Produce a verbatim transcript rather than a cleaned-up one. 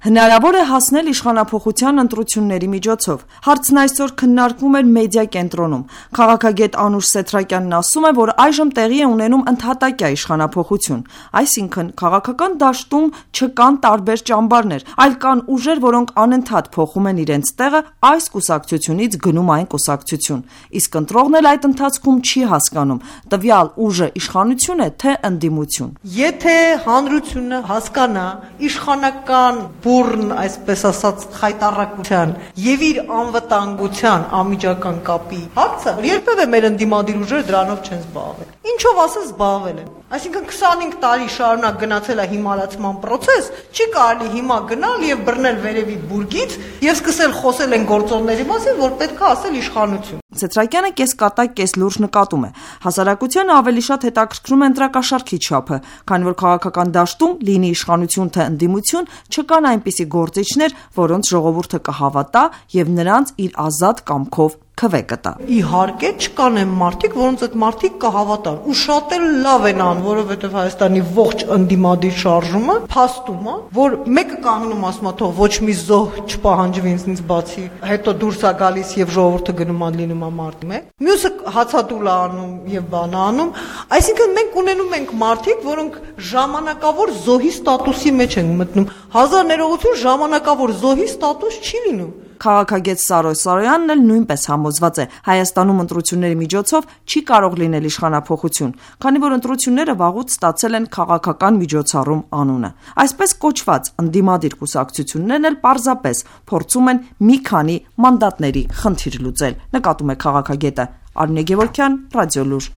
Հնարավոր է հասնել իշխանափոխության ընտրությունների միջոցով։ Հարցն այսօր քննարկվում էր մեդիա կենտրոնում։ Քաղաքագետ Անուշ Սեթրակյանն ասում է, որ այժմ տեղի է ունենում ընդհատակյա իշխանափոխություն, այսինքն քաղաքական դաշտում չկան տարբեր ճամբարներ, այլ կան ուժեր, որոնք անընդհատ փոխում են իրենց տեղը այս կուսակցությունից գնում այն կուսակցություն։ Իսկ ընտրողն էլ այդ ընթացքում չի հասկանում տվյալ ուժը իշխանություն է, թե ընդդիմություն։ Եթե հանրությունը հասկանա իշխանական բուրն, այսպես ասած, խայտառակության եւ իր անվտանգության անմիջական կապի հարցը, երբևէ մեր ընդդիմադիր ուժերը դրանով չեն զբաղվել։ Ինչով ասած զբաղվել են։ Այսինքն քսանհինգ տարի շարունակ գնացել է հիմարացման process, չի կարելի հիմա գնալ եւ բռնել վերևի բուրգից եւ սկսել խոսել են գործոնների մասին, որ պետք է ասել իշխանություն։ Սեթրակյանը կես կատակ, կես լուրջ նկատում է։ Հասարակությանը ավելի շատ հետաքրքրում է ընտրակաշառքի չափը, քանի որ քաղաքական դաշտում լինի իշխանություն թե ընդդիմություն, չկան այնպիսի գործիչներ, որոնց ժողովուրդը կհավատա եւ նրանց իր ազատ կամքով քվե կտա։ Իհարկե չկան են մարդիկ, որոնց այդ մարդիկ կհավատան, ու շատ էլ լավ են ան, որովհետեւ Հայաստանի ողջ ընդդիմադիր շարժումը փաստում է, որ մեկը կանգնում ասում է թող ոչ մի զոհ չպահանջվի ինձնից բացի, հետո դուրս է գալիս եւ ժողովուրդը գնում է լինում է մարտի մեջ, մյուսը հացադուլ է անում եւ բան է անում, այսինքն մենք ունենում ենք մարդիկ, որոնք ժամանակավոր զոհի ստատուսի մեջ են մտնում, հազար ներողություն, ժամանակավոր զոհի ստատուս չի լինում։ Քաղաքագետ Սարոյ Սարոյանն էլ նույնպես համոզված է, Հայաստանում ընտրությունների միջոցով չի կարող լինել իշխանափոխություն, քանի որ ընտրությունները վաղուց ստացել են քաղաքական միջոցառում անունը։ Այսպես կոչված ընդդիմադիր կուսակցություններն էլ պարզապես փորձում են մի քանի մանդատների խնդիր լուծել, նկատում է քաղաքագետը։ Արմինե Գևորգյան, Ռադիոլուր։